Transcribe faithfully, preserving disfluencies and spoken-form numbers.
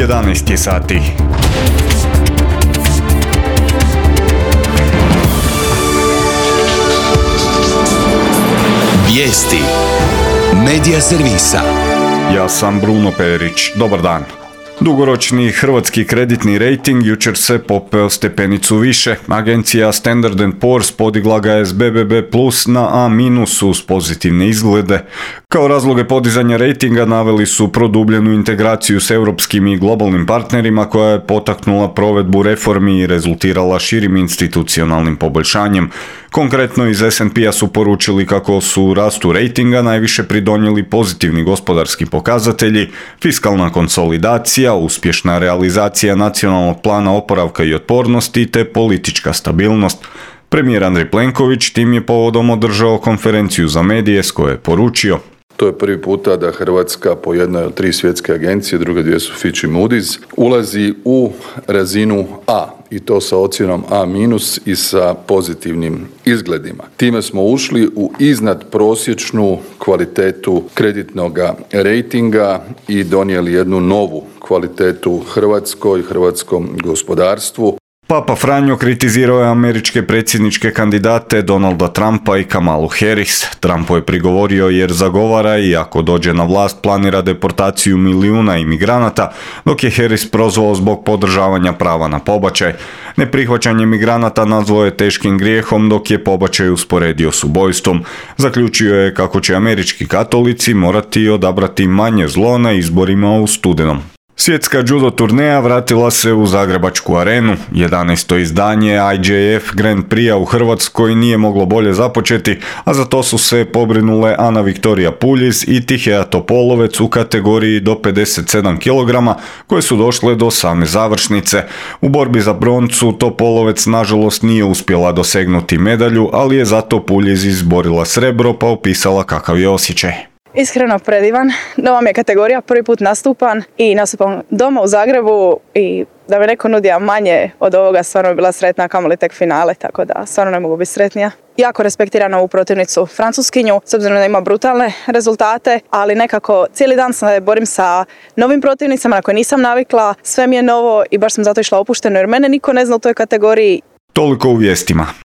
jedanaest je sati. Vijesti Medija servisa. Ja sam Bruno Perić. Dobar dan. Dugoročni hrvatski kreditni rejting jučer se popeo stepenicu više. Agencija Standard and Poor's podigla ga je s be be be plus na A minus uz pozitivne izglede. Kao razloge podizanja rejtinga naveli su produbljenu integraciju s europskim i globalnim partnerima koja je potaknula provedbu reformi i rezultirala širim institucionalnim poboljšanjem. Konkretno iz es and pea su poručili kako su rastu rejtinga najviše pridonijeli pozitivni gospodarski pokazatelji, fiskalna konsolidacija, uspješna realizacija nacionalnog plana oporavka i otpornosti te politička stabilnost. Premijer Andrej Plenković tim je povodom održao konferenciju za medije s koje je poručio: To je prvi puta da Hrvatska po jednoj od tri svjetske agencije, druge dvije su Fitch i Moody's, ulazi u razinu A i to sa ocjenom A minus i sa pozitivnim izgledima. Time smo ušli u iznad prosječnu kvalitetu kreditnog rejtinga i donijeli jednu novu kvalitetu Hrvatskoj i hrvatskom gospodarstvu. Papa Franjo kritizirao je američke predsjedničke kandidate Donalda Trumpa i Kamalu Harris. Trumpu je prigovorio jer zagovara i ako dođe na vlast planira deportaciju milijuna imigranata, dok je Harris prozvao zbog podržavanja prava na pobačaj. Neprihvaćanje migranata nazvao je teškim grijehom, dok je pobačaj usporedio s ubojstvom. Zaključio je kako će američki katolici morati odabrati manje zlo na izborima u studenom. Svjetska judo turneja vratila se u Zagrebačku arenu. jedanaesto izdanje I J F Grand Prix u Hrvatskoj nije moglo bolje započeti, a za to su se pobrinule Ana Viktorija Puljiz i Tihea Topolovec u kategoriji do pedeset sedam kilograma, koje su došle do same završnice. U borbi za broncu Topolovec nažalost nije uspjela dosegnuti medalju, ali je zato Puljiz izborila srebro pa opisala kakav je osjećaj. Iskreno predivan, nova mi je kategorija, prvi put nastupam i nastupam doma u Zagrebu i da mi neko nudi manje od ovoga, stvarno bi bila sretna, kamoli tek finale, tako da stvarno ne mogu biti sretnija. Jako respektiram ovu protivnicu Francuskinju, s obzirom da ima brutalne rezultate, ali nekako cijeli dan se borim sa novim protivnicama na koje nisam navikla, sve mi je novo i baš sam zato išla opušteno jer mene niko ne zna u toj kategoriji. Toliko u vijestima.